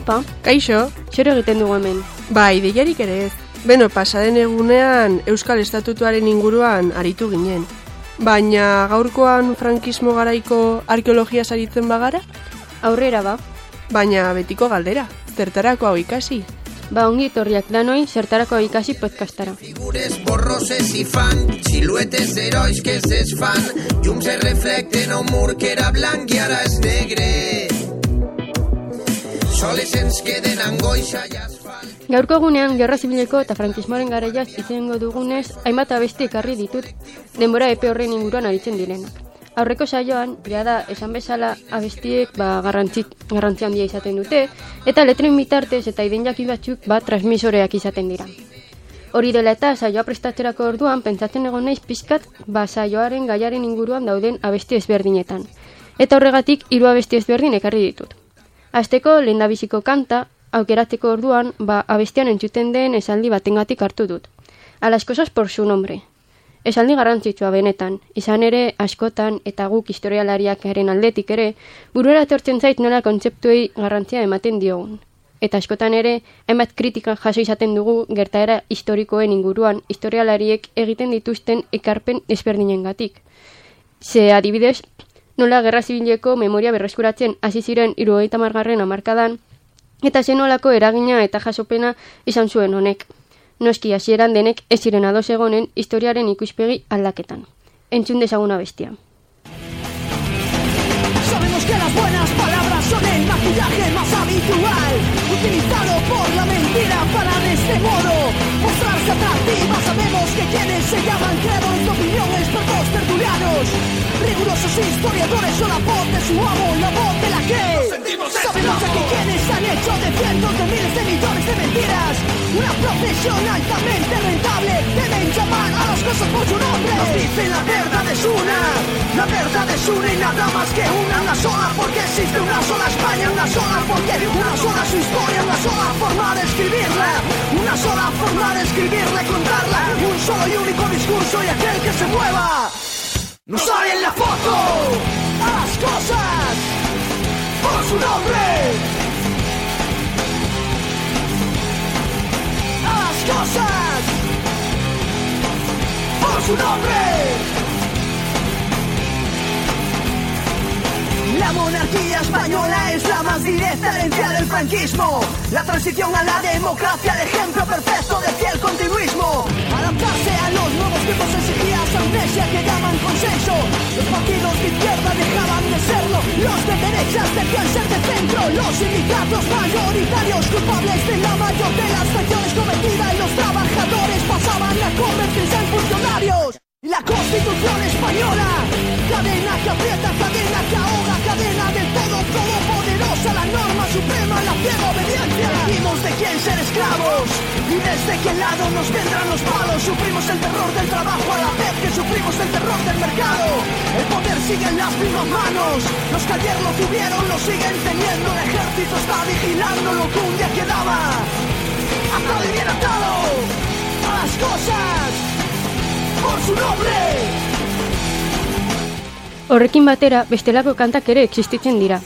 Aupa, Kaixo, zer egiten dugu hemen? bai, deiarik ere ez. Beno, pasaren egunean Euskal Estatutuaren inguruan aritu ginen. Baina gaurkoan frankismo garaiko arkeologia saritzen bagara? Aurrera ba. Baina betiko galdera, zertarako hau ikasi? Ba ongi etorriak danoi, zertarako ikasi podcastara. Figures borroses i fan, siluetes herois que es desfan, llums es reflecten a un mur que era blanc i ara és negre. Soles ens queden angoixa i asfalt. Gaurko egunean, Gerra Zibileko eta frankismoaren garaiaz izango dugunez, hainbat abesti ekarri ditut, denbora epe horren inguruan aritzen direnak. Aurreko saioan, da esan bezala abestiek garrantzi handia izaten dute, eta letren bitartez eta idein jakin batzuk transmisoreak izaten dira. Hori dela eta saioa prestatzerako orduan, pentsatzen egon naiz pixkat saioaren gaiaren inguruan dauden abesti ezberdinetan. Eta horregatik 3 abesti ezberdin ekarri ditut. Hasteko lehendabiziko kanta, aukeratzeko orduan, abestian entzuten den esaldi batengatik hartu dut. A las cosas por su nombre. Esaldi garrantzitsua benetan, izan ere askotan eta guk historialariakaren aldetik ere, buruera etortzen zait nola kontzeptuei garrantzia ematen diogun. Eta askotan ere, hainbat kritika jaso izaten dugu gertaera historikoen inguruan historialariek egiten dituzten ekarpen ezberdinengatik. Ze adibidez, nola Gerra Zibileko memoria berreskuratzen hasi ziren 70. hamarkadan, eta zen nolako eragina eta jasopena izan zuen honek. Noski hasieran denek ez ziren ados egonen historiaren ikuspegi aldaketan. Entzun dezagun abestia. Sabemos que las buenas palabras son el maquillaje más habitual, utilizado por la mentira para de este modo mostrarse atractiva. Sabemos que quienes se llaman creadores de opinión, expertos tertulianos, rigurosos historiadores son la voz de su amo, la voz de la que sabemos que quienes han hecho de cientos de miles de millones de mentiras una profesión altamente rentable, deben llamar a las cosas por su nombre. Nos dicen la verdad es una y nada más que una sola, porque existe una sola España, una sola porque una sola su historia, una sola forma de escribirla, una sola forma de escribirla y contarla, y un solo y único discurso y aquel que se mueva no sale en la foto. A las cosas por su nombre, a las cosas por su nombre. La monarquía española es la más directa herencia del franquismo. La transición a la democracia, el ejemplo perfecto de fiel continuismo. Adaptarse a los nuevos tiempos exigía esa amnesia que llaman consenso. Los partidos de izquierda dejaban de serlo, los de derechas debían ser de centro. Los sindicatos mayoritarios culpables de la mayor de las traiciones cometidas, y los trabajadores pasaban a convertirse en funcionarios. Y la Constitución española, cadena que aprieta, cadena que ahoga, cadena del todo todopoderosa, la norma suprema, la ciega obediencia. Elegimos de quién ser esclavos y desde qué lado nos vendrán los palos. Sufrimos el terror del trabajo a la vez que sufrimos el terror del mercado. El poder sigue en las mismas manos, los que ayer lo tuvieron lo siguen teniendo. El ejército está vigilando lo que un día quedaba atado y bien atado a las cosas por su nombre. Horrekin batera, bestelako kantak ere existitzen dira.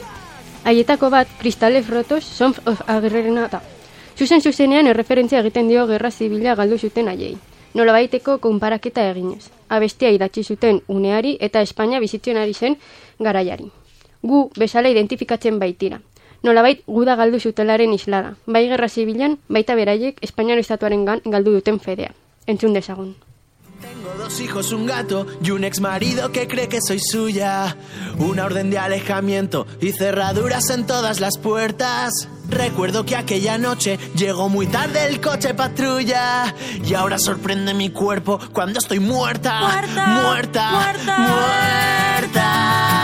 Haietako bat, Cristales Rotos, Sons of Agrerena da. Zuzenean erreferentzia egiten dio Gerra Zibila galdu zuten haiei. Nolabaiteko konparaketa eginez. Abestia idatzi zuten uneari eta Espainia bizitzen ari zen garaiari. Gu bezala identifikatzen baitira. Nolabait guda galdu zutelaren islada. Bai Gerra Zibilan, baita beraiek Espainiar estatuaren galdu duten fedea. Entzun dezagun. Tengo 2 hijos, un gato y un ex marido que cree que soy suya. Una orden de alejamiento y cerraduras en todas las puertas. Recuerdo que aquella noche llegó muy tarde el coche patrulla. Y ahora sorprende mi cuerpo cuando estoy muerta. Muerta.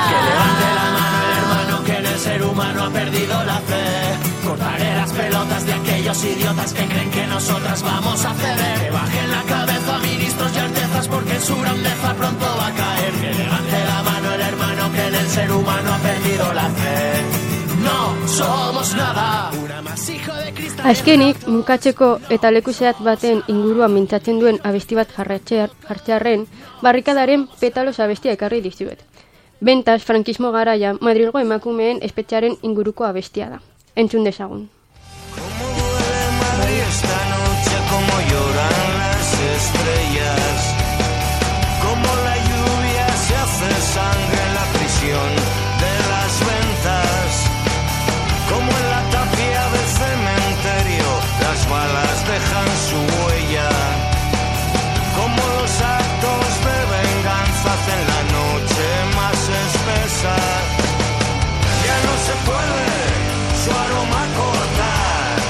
Que levante la mano el hermano que en el ser humano ha perdido la fe. Cortaré las pelotas de aquellos idiotas que creen que nosotras vamos a ceder. Que bajen la cabeza ministros y altezas porque su grandeza pronto va a caer. Que levante la mano el hermano que en el ser humano ha perdido la fe. No somos nada. Una masijo de cristal. Azkenik, mukatzeko eta leku zehatz baten inguruan mintzatzen duen abesti bat jartzearren, barrikadaren Petalos abestia ekarri dizuet. Bentaz, frankismo garaia, Madrilgo emakumeen espetxearen inguruko abestia da. Entzun dezagun. esta noche como lloran las estrellas, como la lluvia se hace sangre en la prisión de las ventas, como en la tapia del cementerio las balas dejan su huella, como los actos de venganza hacen la noche más espesa. Ya no se puede su aroma cortar,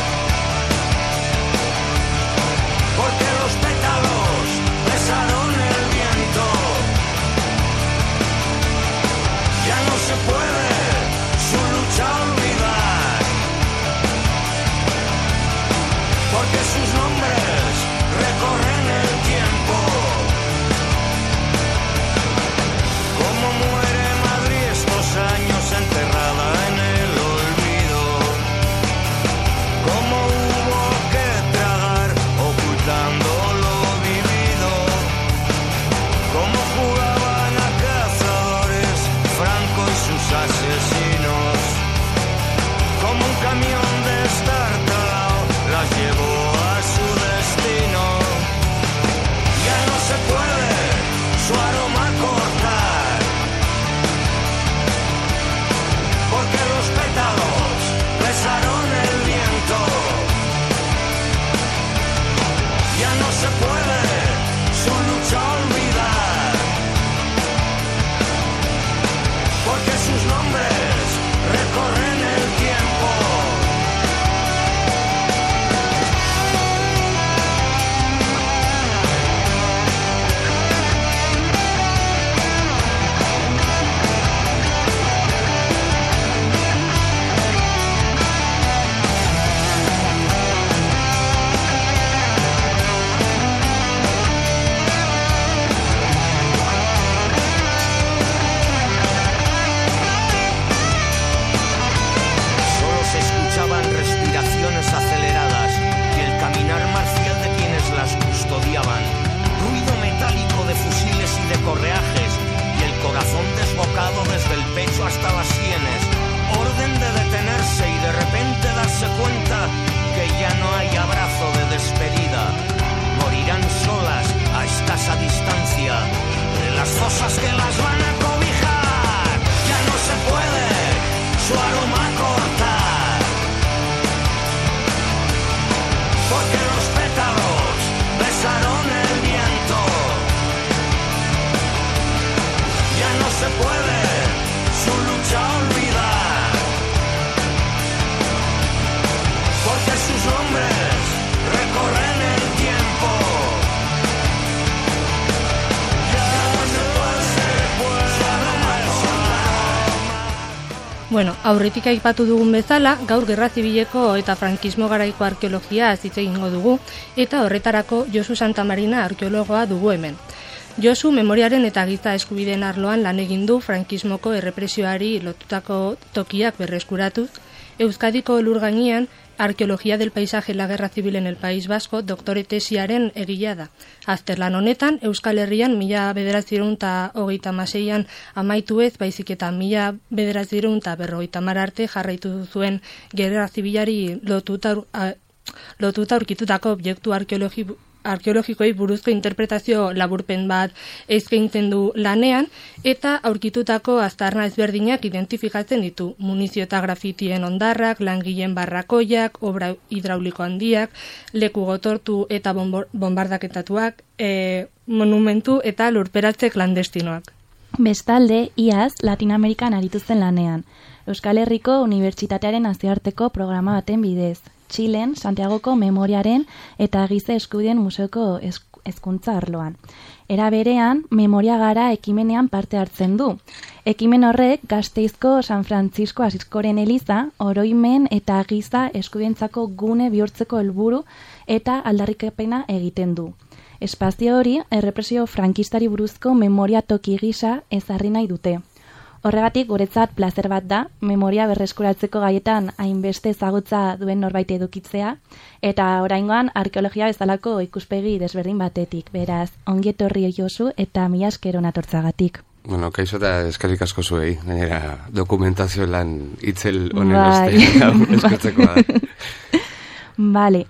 porque los pétalos besaron el viento. Ya no se puede su lucha olvidar, porque sus nombres recorren el tiempo. Como muere Madrid estos años enterrada en el olvido, como hubo que tragar ocultando lo vivido, como jugaban a cazadores Franco y sus asesinos, como un camión destartalado las llevó a su destino. Ya no se puede su aroma cortar, porque los pétalos besaron el viento. Ya no se puede su lucha olvidar, porque sus nombres recorren el tiempo. Solo se escuchaban respiraciones aceleradas y el caminar marcial de quienes las custodiaban, ruido metálico de fusiles y de correajes y el corazón desbocado desde el pecho hasta las sienes, orden de detenerse y de repente darse cuenta que ya no hay abrazo de despedida. Morirán solas a escasa distancia de las fosas que las van a cobijar. Ya no se puede su aroma cortar, porque los pétalos besaron el viento. Ya no se puede su lucha olvidar, porque sus nombres recorren el tiempo. Ya no se puede su aroma cortar. Bueno, aurretik aipatu dugun bezala, gaur Gerra Zibileko eta frankismo garaiko arkeologia hitz egingo dugu, eta horretarako Josu Santamarina arkeologoa dugu hemen. Josu memoriaren eta giza eskubideen arloan lan egin du frankismoko errepresioari lotutako tokiak berreskuratuz, Euskadiko lur gainean Arqueología del paisaje en la Guerra Civil en el País Vasco doktore tesiaren egilea da. Azterlan honetan, Euskal Herrian 1936an amaitu ez, baizik eta 1950 arte jarraitu zuen Gerra Zibilari lotuta aurkitutako objektu arkeologikoei buruzko interpretazio laburpen bat eskaintzen du lanean, eta aurkitutako aztarna ezberdinak identifikatzen ditu. Munizio eta grafitien ondarrak, langileen barrakoiak, obra hidrauliko handiak, leku gotortu eta bombardaketatuak, monumentu eta lurperatze klandestinoak. Bestalde, iaz, Latinoamerikan aritu zen lanean. Euskal Herriko Unibertsitatearen nazioarteko programa baten bidez. Txilen, Santiagoko Memoriaren eta Giza Eskubideen Museoko hezkuntza arloan. Era berean, Memoria Gara ekimenean parte hartzen du. Ekimen horrek Gasteizko San Francisco Asiskoren eliza, oroimen eta giza eskubidentzako gune bihurtzeko helburu eta aldarrikapena egiten du. Espazio hori, errepresio frankistari buruzko memoria toki gisa ezarri nahi dute. Horregatik, guretzat plazer bat da, memoria berreskuratzeko gaietan hainbeste ezagutza duen norbait edukitzea, eta oraingoan arkeologia bezalako ikuspegi desberdin batetik. Beraz, ongi etorri Josu eta mila esker natortzagatik. Bueno, kaixo eta eskerrik asko zuei, gainera dokumentazio lan itzel honen eskatzeko da. Bale,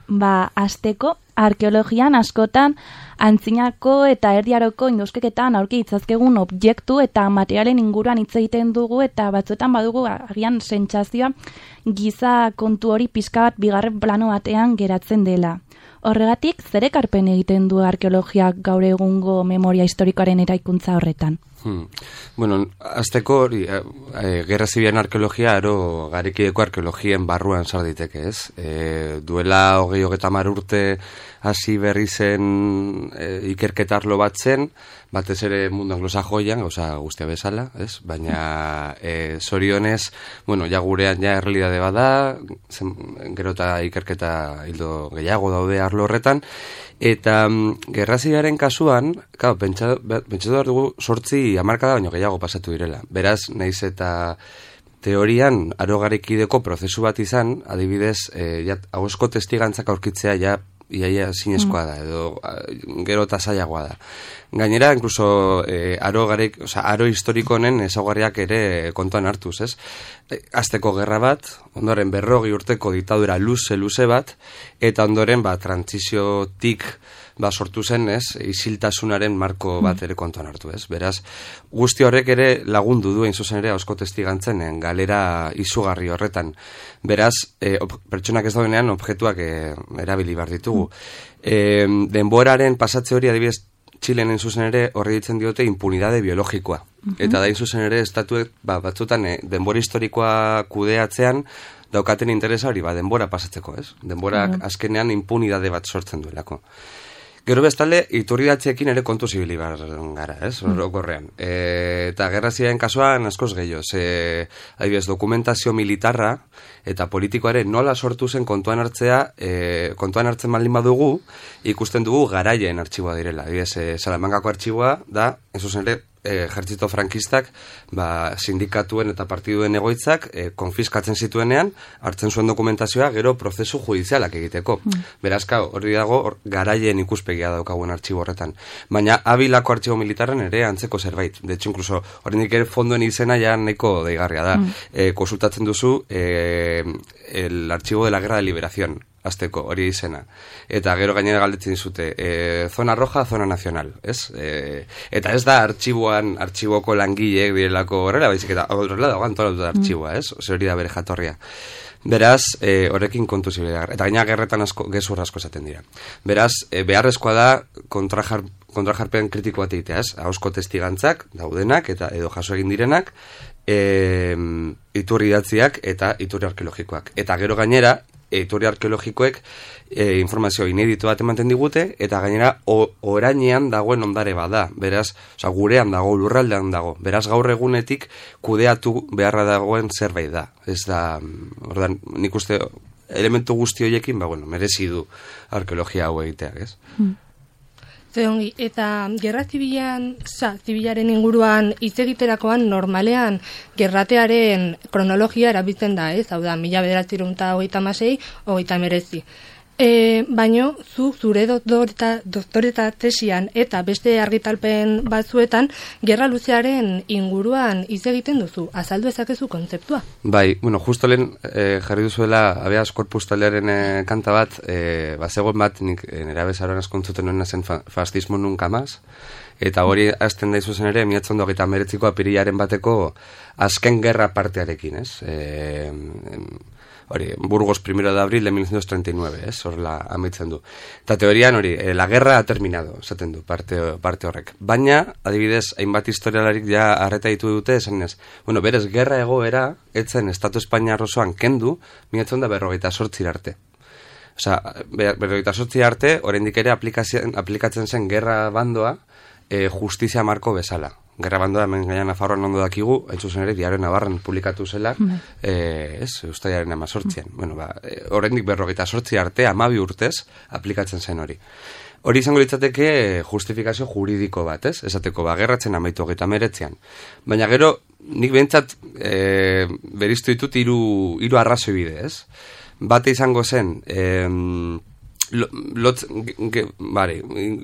hasteko arkeologian askotan antzinako eta erdiaroko induskeketan aurki ditzazkegun objektu eta materialen inguruan hitz egiten dugu eta batzuetan badugu agian sentsazioa giza kontu hori pixka bat bigarren plano batean geratzen dela. Horregatik, zer ekarpen egiten du arkeologiak gaur egungo memoria historikoaren eraikuntza horretan? Bueno, azteko hori, Gerra Zibilaren arkeologia aro garekideko arkeologien barruan sar daiteke, ez? Duela 20-30 urte hasi berri zen ikerketa arlo bat zen, batez ere mundu anglosajoian, guztia bezala, ez? Baina zorionez, bueno, ja gurean ja errealidade bada, gero eta ikerketa hildo gehiago daude arlo horretan, eta Gerra Zibilaren kasuan, pentsatu behar dugu 8 hamarkada baino gehiago pasatu direla. Beraz, naiz eta teorian aro garekideko prozesu bat izan, adibidez, ahozko testigantzak aurkitzea iaia zinezkoa da, edo gero eta zailagoa da. Gainera, incluso aro historiko honen ezaugarriak ere kontuan hartuz, ez? Azteko gerra bat, ondoren 40 urteko diktadura luze bat, eta ondoren trantziziotik sortu zen, ez? Isiltasunaren marko bat ere kontuan hartu, ez? Beraz, guzti horrek ere lagundu du, hain zuzen ere, ahozko testigantzen galera izugarri horretan. Beraz, pertsonak ez daudenean objektuak erabili behar ditugu. Denboraren pasatze hori, adibidez, Txilen zuzen ere horri ditzen diote impunidade biologikoa. Eta da zuzen ere estatuek batzutan denbora historikoa kudeatzean daukaten interesa hori denbora pasatzeko, ez? Denborak azkenean impunidade bat sortzen duelako. Gero bestalde, iturridatzeekin ere kontu zibili gara, ez? Orokorrean. Eta Gerra Zibilaren kasuan askoz gehiago. Adibidez, dokumentazio militarra eta politikoaren nola sortu zen kontuan hartzen baldin badugu, ikusten dugu garaien artxiboa direla. Adibidez, Salamangako artxiboa da, ez zuzen ere, ejertzito frankistak sindikatuen eta partiduen egoitzak konfiskatzen zituenean, hartzen zuen dokumentazioa gero prozesu judizialak egiteko. Beraz, hori dago garaien ikuspegia daukagun artxibo horretan. Baina Abilako artxibo militarren ere antzeko zerbait. De hecho, incluso horrendik ere fondoen izena ja nahiko deigarria da. Konsultatzen duzu el archivo de la guerra de liberación. Azteko, hori izena. Eta gero gainera galdetzen dizute, zona roja, zona nacional, ez? Eta ez da artxiboko langileek direlako horrela, baizik eta horrela dagoan antolatuta artxiboa, ez? Hori da bere jatorria. Beraz, horrekin kontu zibila. Eta gaina gerretan gezur asko esaten dira. Beraz, beharrezkoa da kontrajarpen kritiko bat egitea, ez? Ahozko testigantzak, daudenak, eta edo jaso egin direnak, iturri idatziak eta iturri arkeologikoak. Eta gero gainera, iturri arkeologikoek informazio inedito bat ematen digute, eta gainera orainean dagoen ondare bada. Beraz, gurean dago, lurraldean dago. Beraz, gaur egunetik kudeatu beharra dagoen zerbait da. Ez da, ordan, nik uste elementu guzti horiekin, merezi du arkeologia hau egiteak, ez? Zeongi, eta Gerra Zibilaren inguruan hitz egiterakoan normalean gerratearen kronologia erabiltzen da, ez? Hau da, 1936, 1939. Baino, zure doktoreta tesian eta beste argitalpen batzuetan gerra luzearen inguruan hitz egiten duzu. Azaldu ezakezu kontzeptua? Bai, justo lehen jarri duzuela Habeas Corpus taldearen kanta bat, bazegoen bat nik nera bezaroan askontzuten noena zen fascismo nunca más, eta hori hasten da izuzen ere 1929ko apirilaren bateko azken gerra partearekin, ez? Burgos 1 de abril de 1939, ez? Horrela amaitzen du. Eta teorian hori, la guerra ha terminado, esaten du parte horrek. Baina, adibidez, hainbat historialarik ja arreta ditu dute, esan ez, berez, gerra egoera, etzen Estatu Espainiar osoan kendu, 1948 arte. Osa, 48 arte, oraindik ere aplikatzen zen gerra bandoa, justizia marko bezala. Gerra bandoa, hemen gaina Nafarroan ondo dakigu, hain zuzen ere, Diario Navarran publikatu zela, Uztailaren 18an. Oraindik 48 arte, 12 urtez, aplikatzen zen hori. Hori izango litzateke justifikazio juridiko bat, ez? Esateko, gerratzen amaitu 19an. Baina gero, nik behintzat beriztu ditut hiru arrazoi bide, ez? Bate izango zen,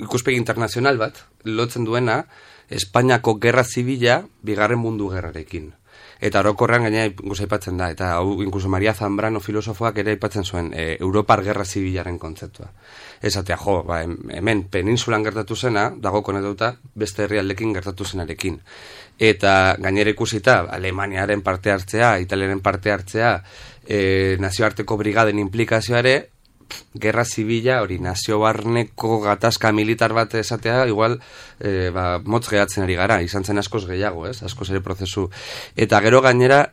ikuspegi internazional bat, lotzen duena, Espainiako gerra zibila bigarren mundu gerrarekin. Eta orokorrean gaina inkluso aipatzen da, eta hau inkluso Maria Zambrano filosofoak ere aipatzen zuen Europar Gerra Zibilaren kontzeptua. Esatea, hemen peninsulan gertatu zena, dago konetauta beste herrialdekin gertatu zenarekin. Eta gainera ikusita, Alemaniaren parte hartzea, Italiaren parte hartzea, nazioarteko brigaden implikazioare, gerra zibila, hori nazio barneko gatazka militar bat esatea, igual motz gehatzen ari gara, izan zen askoz gehiago, askoz ere prozesu. Eta gero gainera,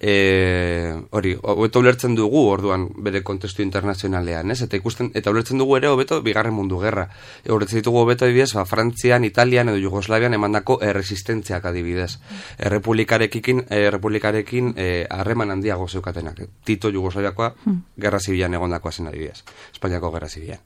hobeto ulertzen dugu orduan bere kontestu internazionalean, eta ulertzen dugu ere hobeto Bigarren Mundu Gerra. Ulertzen ditugu hobeto adibidez, Frantzian, Italian edo Jugoslavian emandako erresistentziak adibidez. Errepublikarekin harreman handiago zeukatenak. Tito Jugoslaviakoa gerra zibilan egondakoa zen adibidez. Espainiako Gerra Zibilan.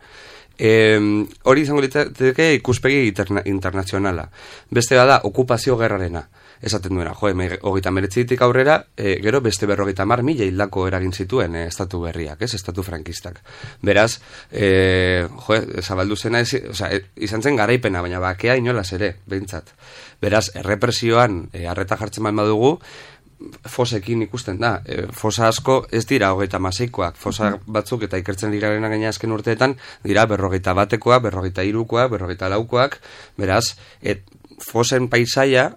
Hori izango liteke ikuspegi internazionala. Beste bada, okupazio gerrarena. Esaten duena, 39tik aurrera, gero beste 50.000 hildako eragin zituen estatu berriak, estatu frankistak. Beraz, zabaldu zena, izan zen garaipena, baina bakea inolaz ere, behintzat. Beraz, errepresioan arreta jartzen badugu, fosekin ikusten da. Fosa asko ez dira 36koak. Fosa batzuk eta ikertzen dirarena gaina azken urteetan dira 41koak, 43koak, 44koak. Beraz, fosen paisaia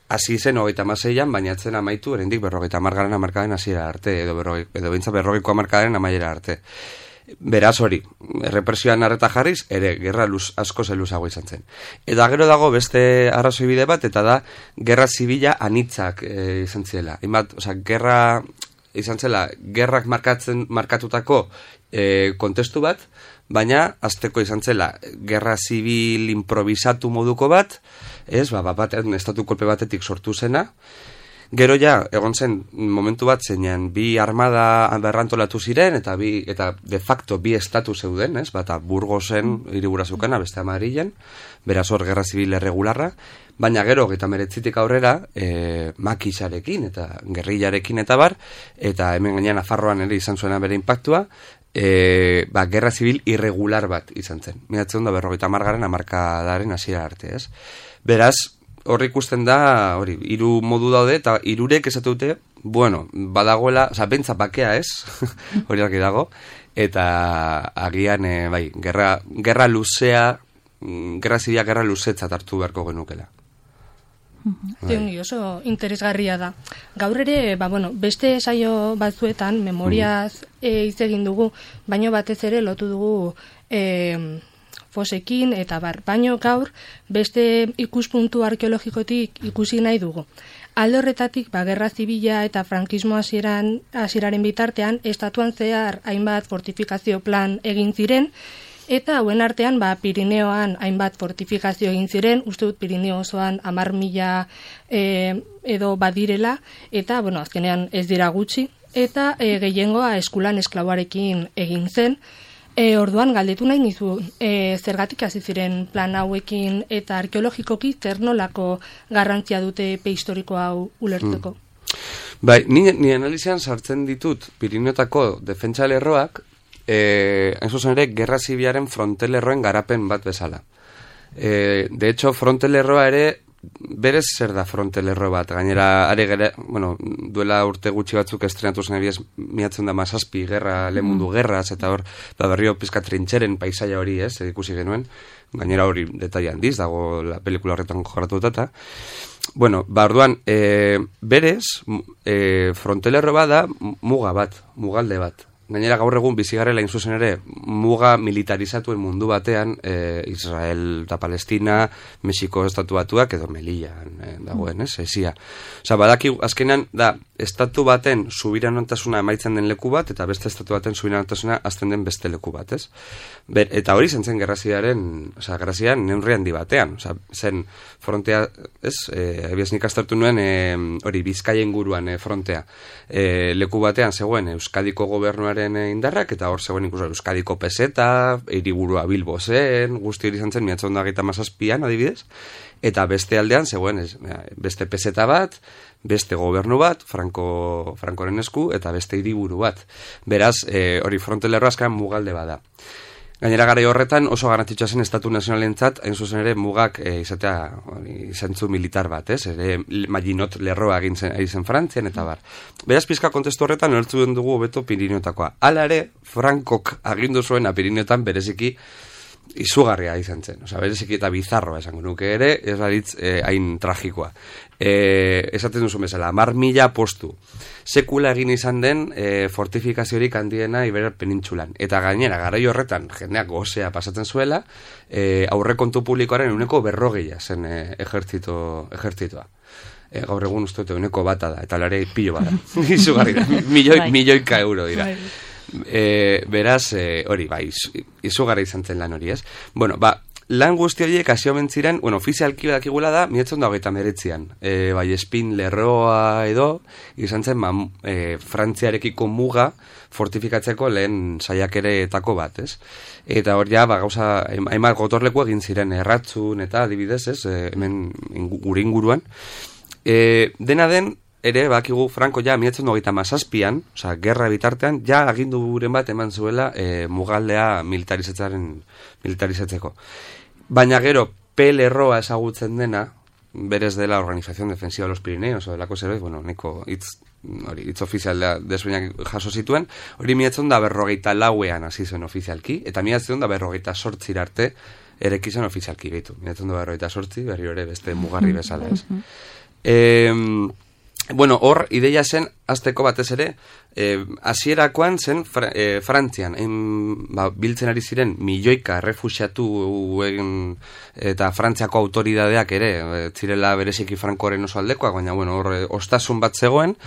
hasi zen 36an, baina etzen amaitu oraindik 50. hamarkadaren hasiera arte edo behintzat 40ko hamarkadaren amaiera arte. Beraz hori, errepresioan arreta jarriz, ere gerra asko zeluzago izan zen. Eta gero dago beste arrazoi bide bat, eta da gerra zibila anitzak izan zela. Gerra izan zela, gerrak markatutako kontestu bat, baina azteko izan zela gerra zibil improvisatu moduko bat, batean estatu kolpe batetik sortu zena. Gero ja, egon zen momentu bat zeinan bi armada berrantolatu ziren, eta de facto bi estatu zeuden, bata Burgosen hiribura zeukana, beste Madrilen, beraz hor gerra zibil erregularra, baina gero 39tik aurrera makisarekin eta gerrillarekin eta bar, eta hemen gainean Nafarroan ere izan zuena bere impactua, gerra zibil irregular bat izan zen. Miratzen da 50. hamarkadaren hasiera arte, Beraz, hor ikusten da, hiru modu daude, eta hirurek esatute, badagoela, bentsa bakea hori argi dago, eta agian, gerra luzea, gerra zibila gerra luzetzat hartu beharko genukela. Oso interesgarria da. Gaur ere, beste saio batzuetan, memoriaz hitz egin dugu, baino batez ere lotu dugu fosekin eta baino gaur beste ikuspuntu arkeologikotik ikusi nahi dugu. Alde horretatik, gerra zibila eta frankismo hasieraren bitartean, estatuan zehar hainbat fortifikazio plan egin ziren, eta hauen artean, Pirineoan hainbat fortifikazio egin ziren, uste dut Pirineo osoan 10.000 edo badirela, eta, azkenean ez dira gutxi, eta gehiengoa eskulan esklaboarekin egin zen. Orduan galdetu nahi nizu, zergatik hasi ziren plan hauekin eta arkeologikoki zer nolako garrantzia dute prehistoriko hau ulertzeko? Ni analizian sartzen ditut Pirineotako defentsa lerroak, hain zuzen ere, gerra zibilaren frontelerroen garapen bat bezala. De hecho, frontelerroa ere, berez zer da frontelerro bat, gainera, duela urte gutxi batzuk estrenatu zen ebiez, miatzen da mazazpi gerra, lehenmundu gerraz, eta hor, berrio pizka trintxeren paisaia hori, ikusi genuen, gainera hori detaila handiz, dago la pelikula horretan jorratu eta, orduan, berez, frontelerro bat da muga bat, mugalde bat. Gainera gaur egun bizigarrela inzuzen ere muga militarizatuen mundu batean Israel eta Palestina, Mexiko estatu batuak edo Melillan dagoen, esia. Badaki azkenean da estatu baten subiranotasuna amaitzen den leku bat eta beste estatu baten subiranotasuna azten den beste leku bat, Eta hori zen gerraziaren neurri handi batean, zen frontea, ebiaz nik aztertu nuen hori Bizkaia inguruan frontea. Leku batean zegoen Euskadiko gobernuaren indarrak, eta hor zegoen inkluso Euskadiko peseta, hiriburua Bilbo zen, guzti hori izan zen, miatzen da 17an, adibidez, eta beste aldean zegoen beste peseta bat, beste gobernu bat, Frankoren esku, eta beste hiriburu bat. Beraz, hori frontelerroa azkan mugalde bada. Gainera garai horretan oso garrantzitsua zen estatu nazionalentzat, hain zuzen ere mugak izatea izantzu militar bat, ez? Ere Maginot lerroa egin zen Frantzian eta bar. Beraz pizka kontestu horretan ulertu dugu hobeto Pirineotakoa. Hala ere, Frankok agindu zuen Pirineotan bereziki izugarria izan zen. Osea, bereziki eta bizarroa esango nuke ere, ez baritz hain tragikoa. Esaten duzu bezala, 10.000 postu. Sekula egin izan den fortifikaziorik handiena Iberia penintsulan. Eta gainera, garai horretan, jendeak gozea pasatzen zuela, aurrekontu publikoaren 140 zen ejertzitoa. Gaur egun uste dute 1 da, eta lare pilo bada. Izugarri da, milioika euro dira. Beraz, hori, izugarri izan zen lan hori, ez? Bueno, lan guzti horiek hasio mentziren, ofizialki badakigula da, 1989an. Espin lerroa edo, izan zen, Frantziarekiko muga fortifikatzeko lehen saiakeretako bat, ez? Eta hor ja, gauza, hainbat gotorleku egin ziren, erratzun eta adibidez, ez? Hemen gure inguruan. Dena den, ere, bakigu Franco ja 1937an, osea, gerra bitartean, ja aginduren bat eman zuela mugaldea militarizatzeko. Baina gero, lerroa ezagutzen dena, berez dela Organización Defensiva de los Pirineos, o delako zerbait, neko hitz ofizial desbeinak jaso zituen, hori 1944an hasi zen ofizialki, eta 1948 arte erekizan ofizialki behitu. 1948, berri hori beste mugarri bezala, ez? Hor, ideia zen, azteko batez ere, hasierakoan zen Frantzian, biltzen ari ziren milioika errefuxiatu eta Frantziako autoridadeak ere, zirela bereziki Frankoren oso aldekoak, baina hor ostasun bat zegoen,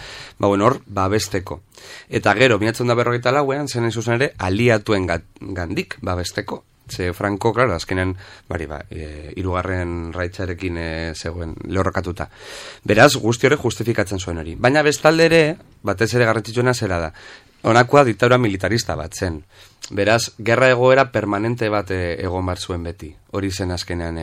hor babesteko. Eta gero, 1944an zen zuzen ere, aliatuen gandik babesteko. Ze Franco, claro, azkenean, hirugarren raitzarekin zegoen lehorrokatuta. Beraz, guzti hori justifikatzen zuen hori. Baina bestalde ere, batez ere garrantzitsuena zera da. Honakoa diktadura militarista bat zen. Beraz, gerra egoera permanente bat egon bar zuen beti. Hori zen azkenean.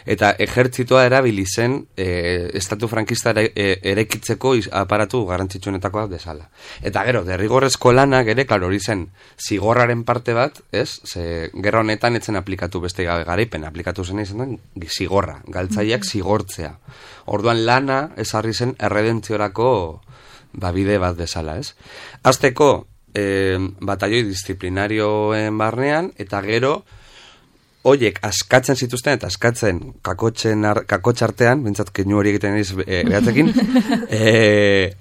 Eta ejertzitoa erabili zen estatu frankista erekitzeko aparatu garrantzitsuenetakoa bezala. Eta gero, derrigorrezko lanak ere, klaro, hori zen zigorraren parte bat, ez? Ze gerra honetan etzen aplikatu beste garaipen, aplikatu zen izan den zigorra, galtzaileak zigortzea. Orduan lana ezarri zen erredentziorako bide bat bezala, ez? Azteko, batalloi disiplinarioen barnean, eta gero, hoiek askatzen zituzten, eta askatzen kakotxartean, bentsat keinu hori egiten eriz behatzekin,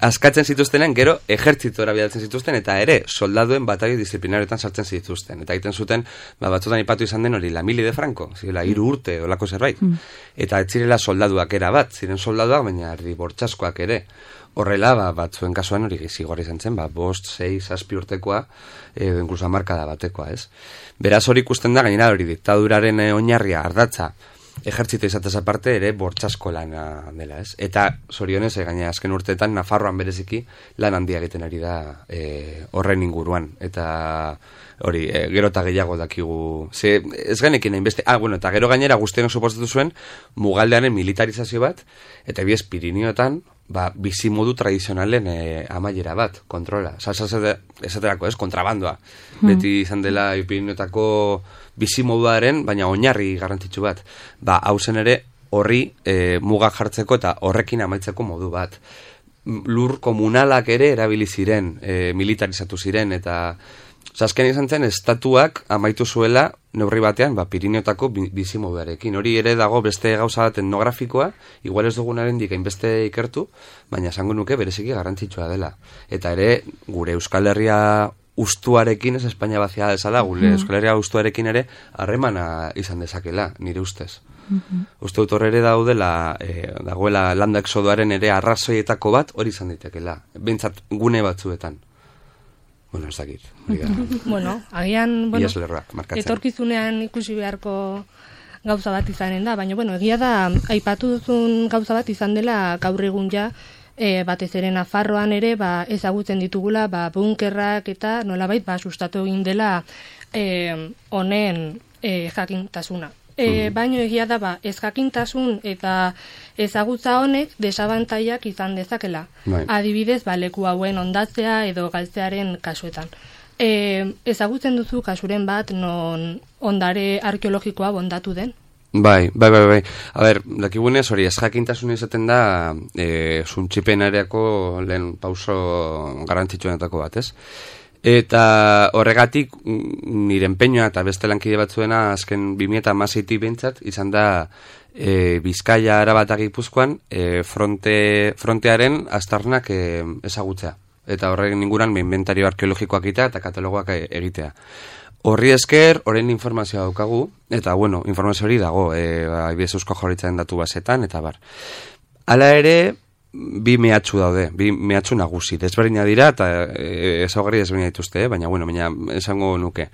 askatzen zituztenen, gero ejertzitora bidatzen zituzten, eta ere, soldaduen batalloi disiplinarioetan sartzen zituzten. Eta egiten zuten, batzutan ipatu izan den hori, la mili de Franco, zirela, 3 urte, olako zerbait. Eta ez zirela soldaduak era bat, ziren soldaduak, baina herri bortxaskoak ere. Horrela, batzuen kasuan hori zigorra izan zen, 5, 6, 7 urtekoa, inkluso hamarkada batekoa, ez? Beraz hori ikusten da, gainera hori diktaduraren oinarria ardatza, ejertzito izatez aparte ere bortxasko lana dela, ez? Eta zorionez, gainera azken urteetan, Nafarroan bereziki lan handia egiten ari da horren inguruan, eta hori, gero eta gehiago dakigu, ez genekin hainbeste, eta gero gainera guztien suposatu zuen, mugaldearen militarizazio bat, eta biez Pirineotan, bizimodu tradizionalen amaiera bat, kontrola. Esaterako, ez, kontrabandoa. Beti izan dela Pirineotako bizimoduaren, baina oinarri garrantzitsu bat. Hau zen ere, horri muga jartzeko eta horrekin amaitzeko modu bat. Lur komunalak ere erabili ziren, militarizatu ziren, eta azken izan zen, estatuak amaitu zuela neurri batean, Pirineotako bizimoduarekin. Hori ere dago beste gauza bat etnografikoa, igual ez dugunaren dikain beste ikertu, baina esango nuke bereziki garrantzitsua dela. Eta ere, gure Euskal Herria ustuarekin, ez Espainia bazia desala, gure Euskal Herria ustuarekin ere harremana izan dezakela, nire ustez. Uste dut horre ere dagoela landa exodoaren ere arrazoietako bat hori izan ditekela. Bentsat gune batzuetan. Ez dakit. Agian, etorkizunean ikusi beharko gauza bat izanen da, baina, egia da, aipatu duzun gauza bat izan dela gaur egun ja, batez ere Nafarroan ere, ezagutzen ditugula, bunkerrak eta nolabait, sustatu egin dela honen jakintasuna. Baino egia da, ez jakintasun eta ezagutza honek desabantaiak izan dezakela. Adibidez, leku hauen ondatzea edo galtzearen kasuetan. Ezagutzen duzu kasuren bat non ondare arkeologikoa bondatu den? Bai. A ber, dakigunez hori ez jakintasun izaten da suntxipenariako lehen pauso garrantzitsuenetako bat, ez? Eta horregatik nire empeñoa eta beste lankide batzuena azken 2016 behintzat izan da Bizkaia, Araba eta Gipuzkoan frontearen aztarnak ezagutzea. Eta horren inguruan inventario arkeologikoak egitea eta katalogoak egitea. Horri esker, horren informazioa daukagu, eta bueno, informazio hori dago, IBS Eusko Jaurlaritzaren datu basetan, eta bar. Hala ere, bi mehatxu daude, bi mehatxu nagusi, desberdina dira, eta ezaugarri desberdina dituzte, baina esango nuke.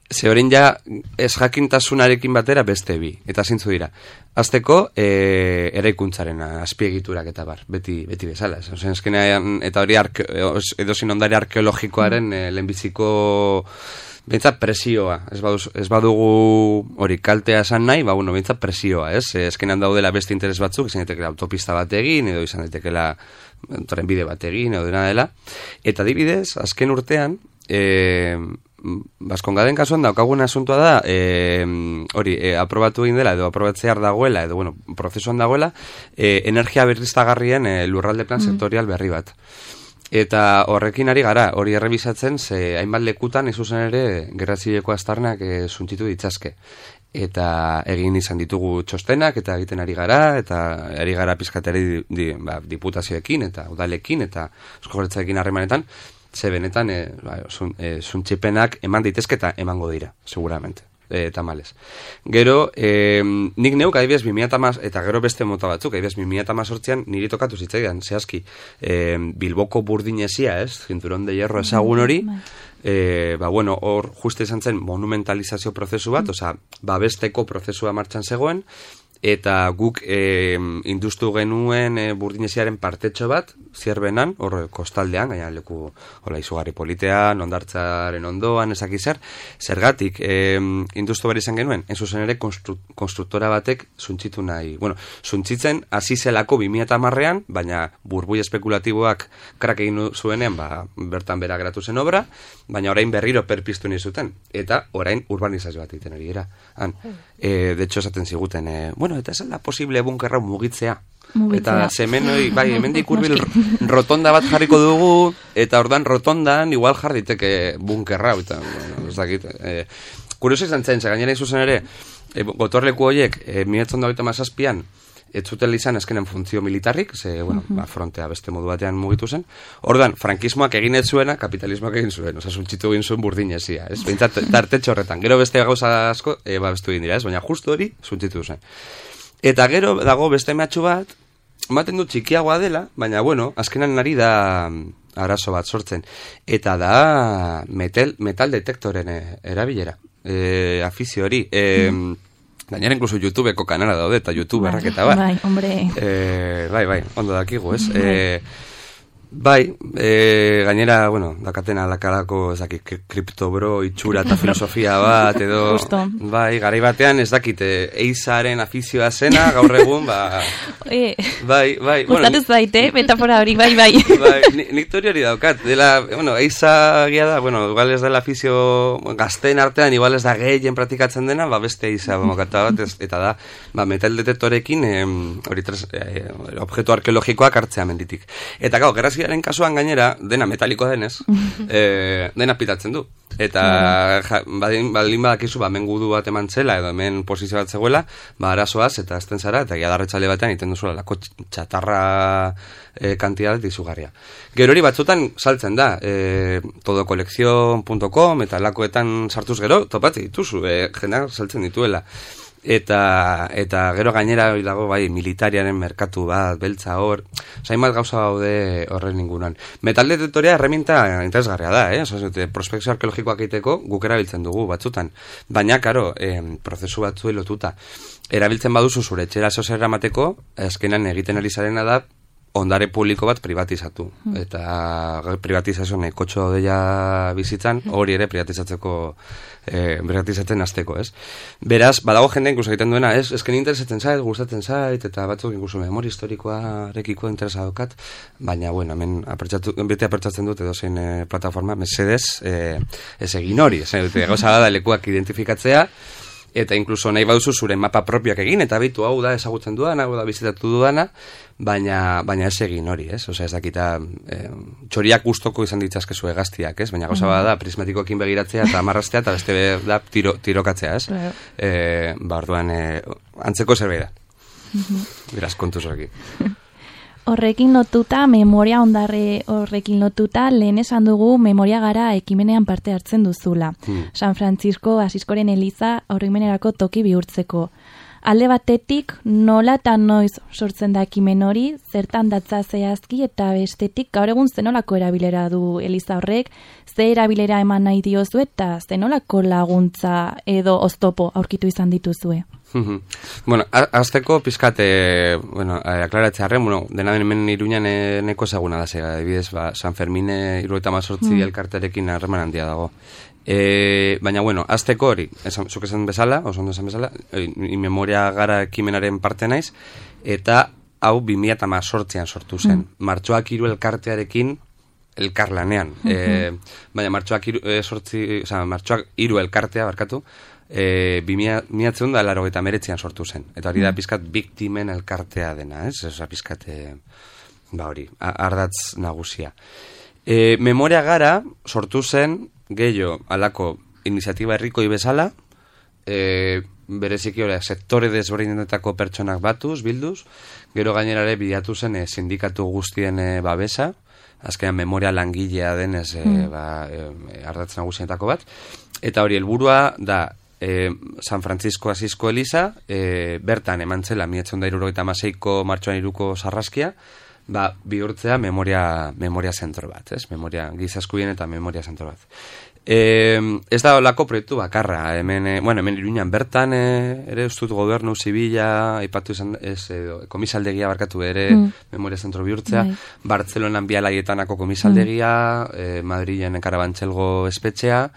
Ze horrein ja, ez jakintasunarekin batera beste bi, eta zintzu dira. Azteko, eraikuntzaren azpiegiturak eta bar, beti bezala. Eskenean, eta hori edozin ondare arkeologikoaren lehenbiziko behintzat presioa, ez badugu hori kaltea esan nahi, behintzat presioa, ez? Eskenean daudela beste interes batzuk, izan daitekeela autopista bat egin, edo izan daitekeela trenbide bat egin, edo dena dela. Eta adibidez, azken urtean, Baskongaden kasuan daukaguna asuntua da, aprobatu egin dela, edo aprobatzear dagoela, edo prozesuan dagoela, energia berriztagarrien lurralde plan sektorial berri bat. Eta horrekin ari gara, hori errebisatzen, ze hainbat lekutan zuzen ere gerra zibileko aztarnak suntsitu ditzazke. Eta egin izan ditugu txostenak, eta egiten ari gara, eta ari gara pizkateri diputazioekin, eta udalekin, eta Eusko Jaurlaritzarekin harremanetan, ze benetan suntsipenak eman daitezke eta emango dira, seguramente. Tamales. Gero, nik neuk adibidez 2010 eta gero beste mota batzuk, adibidez 2018an niri tokatu zitzaidan, zehazki, Bilboko burdinezia, ez? Cinturón de hierro ezagun hori, hor juste izan zen monumentalizazio prozesu bat, babesteko prozesua martxan zegoen, eta guk industu genuen burdineziaren partetxo bat, zierbenan, hor kostaldean, gaina leku izugarri politean, ondartzaren ondoan, zer, zergatik industu behar izan genuen, ez zuzen ere konstruktora batek suntsitu nahi. Suntsitzen hasi zelako 2010an, baina burbui espekulatiboak krak egin zuenean, bertan bera geratu zen obra, baina orain berriro perpiztu nahi zuten, eta orain urbanizazio bat egiten ari dira. De hecho, esaten ziguten, eta ez da posible bunkerra mugitzea. Eta zemenoi, hemendik hurbil rotonda bat jarriko dugu, eta ordan rotondan igual jarditeke bunkerra, eta, ez dakit. Kurioso izan zen, gainera izuzen ere, gotorleku horiek, 1927an, ez zutela izan azkenen funtzio militarrik, ze, frontea beste modu batean mugitu zen. Ordan, frankismoak egin ez zuena, kapitalismoak egin zuen, suntsitu egin zuen burdinezia, ez? Behintzat, tartetxo horretan. Gero beste gauza asko, bestu egin dira, ez? Baina justu hori, suntsitu zen. Eta gero dago beste mehatxu bat, ematen du txikiagoa dela, baina, azkenan ari da arazo bat sortzen. Eta da metal detektoren erabilera, afizio hori. Gainera inkluso YouTubeko kanala daude, eta YouTuberrak eta bat. Bai, hombre. Bai, ondo dakigu, ez? Gainera, dakatena lakarako, ez dakit, kriptobro, itxura eta filosofia bat, edo... Justo. Bai, garai batean, ez dakit, eizaren afizioa zena, gaur egun, Bai. Gustatu zait, metafora hori, bai. Bai, nik tori hori daukat. Eiza gia da, igual ez dela afizio gazteen artean, igual ez da gehien praktikatzen dena, beste eiza bomokata bat, eta da, metal detektorekin, objektu arkeologikoak hartzea menditik. Eta gau, gerrazkiaren kasuan gainera, dena metalikoa denez, dena pitatzen du. Eta baldin badakizu, mengudu bat eman zela, edo hemen posizio bat zegoela, arazoaz, eta azten zara, eta giadarretxale batean iten duzuela, lako txatarra kantidadet izugarria. Gero hori batzutan saltzen da, todokolekzion.com, eta lakoetan sartuz gero, topatzi dituzu, jendeak saltzen dituela. Eta gero gainera dago militariaren merkatu bat, beltza hor, hainbat gauza daude horren inguruan. Metal detektorea herramienta interesgarria da, prospekzio arkeologikoak egiteko guk erabiltzen dugu batzutan. Baina, karo, prozesu batzu lotuta. Erabiltzen baduzu zure etxera zozer eramateko, azkenan egiten ari zarena da, ondare publiko bat privatizatu. Eta privatizazio nekotxo deia bizitzan, hori ere privatizatzen hasteko, ez? Beraz, badago jende inkluso egiten duena, esken interesatzen zait, gustatzen zait, eta batzuk inkluso memoria historikoarekiko interesa daukat, baina, bueno, hemen bete apertsatzen dut edozein plataforma, mesedez, ez egin hori, gauza da lekuak identifikatzea, eta inkluso nahi baduzu zure mapa propioak egin, eta bitu hau da ezagutzen duana, hau da bizitatu duana, baina ez egin hori, ez? Osea, ez dakita, txoriak gustoko izan ditzazkezu egaztiak, ez? Baina gauza da prismatikoekin begiratzea eta amarraztea, eta beste da tirokatzea, ez? Orduan, antzeko zerbait da. Beraz, kontuz horrekin. Horrekin lotuta, memoria ondarre horrekin lotuta, lehen esan dugu memoria gara ekimenean parte hartzen duzula. San Francisco Asiskoren Eliza oroimenerako toki bihurtzeko. Alde batetik, nola eta noiz sortzen da ekimen hori, zertan datza zehazki, eta bestetik, gaur egun zenolako erabilera du Eliza horrek, ze erabilera eman nahi diozu eta zenolako laguntza edo oztopo aurkitu izan dituzue. Bueno, azteko pizkate, aklaratzearen, dena hemen Iruñan neko ezaguna da zega, adibidez, San Fermin 78 elkarterekin harreman handia dago. Baina, azteko hori, zuk esan bezala, oso ondo esan bezala, memoria gara ekimenaren parte naiz, eta hau 2018an sortu zen. Martxoak 3 elkartearekin elkarlanean. Baina martxoak 3 elkartea, barkatu, 2089an sortu zen. Eta hori da pizkat biktimen elkartea dena, ez? Osa pizkat, hori, ardatz nagusia. Memoria gara sortu zen gehiago alako iniziatiba herrikoi bezala, bereziki hori sektore desberdinetako pertsonak batuz, bilduz, gero gainerare bilatu zen sindikatu guztien babesa, azkenean memoria langilea denez ardatz nagusienetako bat, eta hori helburua da San Francisco Asisko Eliza, bertan eman zela 1976ko martxoan 3ko sarraskia, bihurtzea memoria zentro bat, ez? Memoria gizaskubien eta memoria zentro bat. Ez da olako proiektu bakarra, hemen Iruñan bertan ere ustut gobernu zibila, aipatu izan, komisaldegia barkatu ere memoria zentro bihurtzea, Bartzelonan Bialaietanako komisaldegia, Madrilen Karabantxelgo espetxea,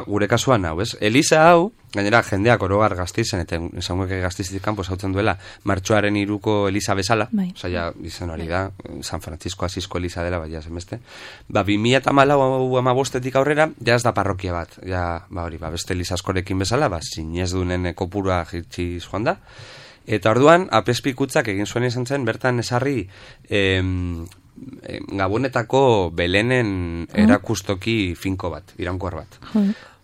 gure kasuan hau, ez? Eliza hau, gainera jendeak orogar Gasteizen, eta esanguek Gasteizetik kanpo zautzen duela, martxoaren 3ko Eliza bezala, oza, izan hori da, San Francisco Asisko Eliza dela, ja zenbeste, 2014 aurrera, ja ez da parrokia bat, ja, beste Eliza askorekin bezala, zinez dunen kopurua jitsi joan da, eta orduan, apespikutzak egin zuen izan zen, bertan esarri, Gabonetako Belenen erakustoki finko bat, irankor bat.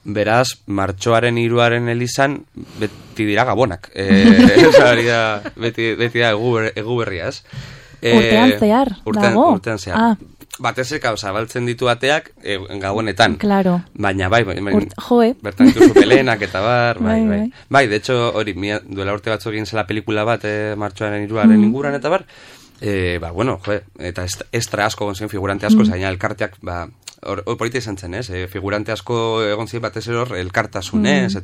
Beraz, martxoaren 3aren Elizan beti dira Gabonak. Beti da egu berriaz. Urtean zehar, dago? Urtean zehar. Batez zabaltzen ditu ateak Gabonetan. Claro. Baina bertan dituzu Belenak eta bai. Bai, de hecho, hori, duela urte batzuk egin zela pelikula bat martxoaren 3aren inguran eta eta estra asko gonzen, figurante asko, zaina elkarteak, polita izan zen, ez? Figurante asko egon zen batez eror, elkartasunez,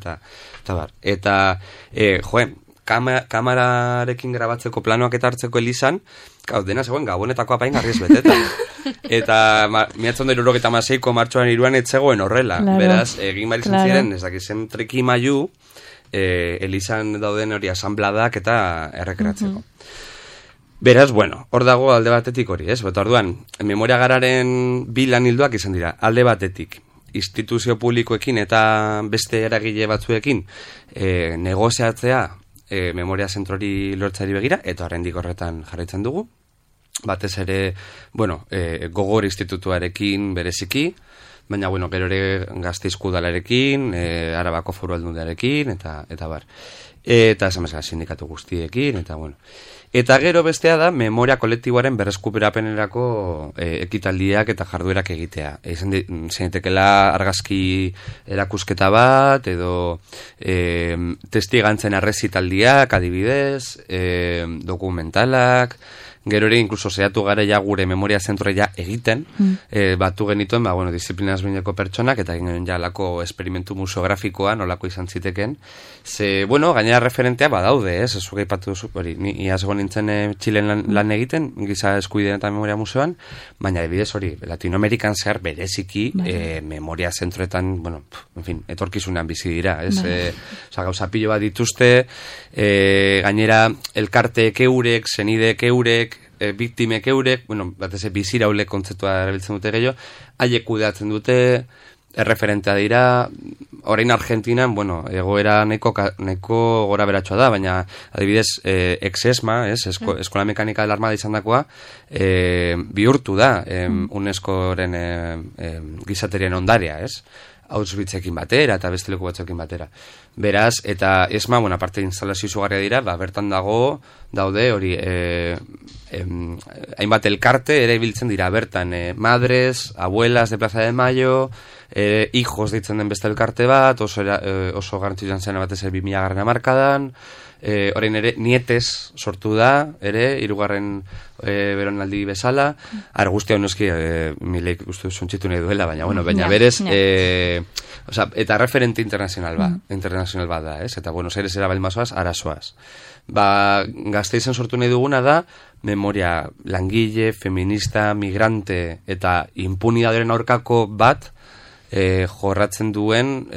eta kamerarekin grabatzeko planoak eta hartzeko Elizan, dena zegoen Gabonetako apain garriz beteta. Eta 1976ko martxoan 3an etzegoen horrela. Beraz, egin barizan ziren, ez dakizen trikimailu, Elizan dauden hori asambladak eta errekeratzeko. Beraz, hor dago alde batetik hori, ez? Orduan, memoria gararen bilan hilduak izan dira, alde batetik, instituzio publikoekin eta beste eragile batzuekin negoziatzea memoria zentrori lortzari begira, eta horrendik horretan jarraitzen dugu. Batez ere, Gogor institutuarekin bereziki, baina, gero ere Gasteizko udalarekin, Arabako Foru Aldundiarekin, eta bar. Eta esan bezala sindikatu guztiekin, eta Eta gero bestea da, memoria kolektiboaren berreskuperapenerako ekitaldiak eta jarduerak egitea. Zeinetekela argazki erakusketa bat, edo testigantzen arrezitaldiak, adibidez, dokumentalak, Gero ere, inkluso zehatu gara ja gure memoria zentroa ja egiten, batu genituen, disiplina ezberdineko pertsonak, eta egin ja lako esperimentu museografikoa, nolako izan ziteken. Ze, gainera referentea badaude, ez zuke ipatu duzu, ni iaz egon nintzen Txilen lan egiten, giza eskubideen eta memoria museoan, baina adibidez hori, Latinoamerikan zehar bereziki memoria zentroetan, etorkizunean bizi dira, ez? Gauza pilo bat dituzte, gainera elkarteek eurek, zenideek eurek, biktimek eurek, batez biziraule kontzeptua erabiltzen dute gehiago, haiek kudeatzen dute, erreferentea dira, orain Argentinan, egoera nahiko gora beratxoa da, baina adibidez, ex-ESMA, Eskola Mekanika del Armada izan dakoa, bihurtu da UNESCO-ren gizaterien ondarea, ez? Auschwitzekin batera eta beste leku batzuekin batera. Beraz, eta ESMA, aparte instalazio izugarria dira, bertan daude hori hainbat elkarte ere biltzen dira bertan, madres, abuelas de Plaza de Mayo, hijos deitzen den beste elkarte bat, oso garrantzitsuan zen batez 2000 hamarkadan, orain ere nietes sortu da, ere, 3. Beronaldi bezala, guztia honeski Mileik uste suntxitu nahi duela, baina berez, eta referente internazional bat da, ez? Eta Buenos Aires era balmazoaz, arazoaz. Gasteizen sortu nahi duguna da, memoria langile, feminista, migrante eta impunidaderen aurkako bat, jorratzen duen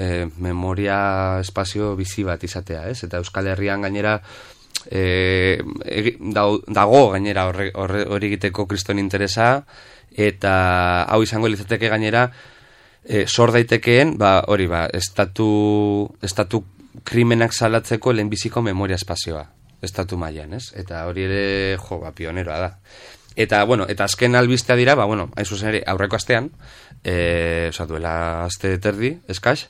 memoria espazio bizi bat izatea, ez? Eta Euskal Herrian gainera dago gainera hori egiteko kriston interesa, eta hau izango litzateke gainera sor daitekeen, estatu krimenak salatzeko lehenbiziko memoria espazioa, estatu mailan, ez? Eta hori ere, pioneroa da. Eta azken albistea dira, hain zuzen ere, aurreko astean, duela aste terdi, eskaz,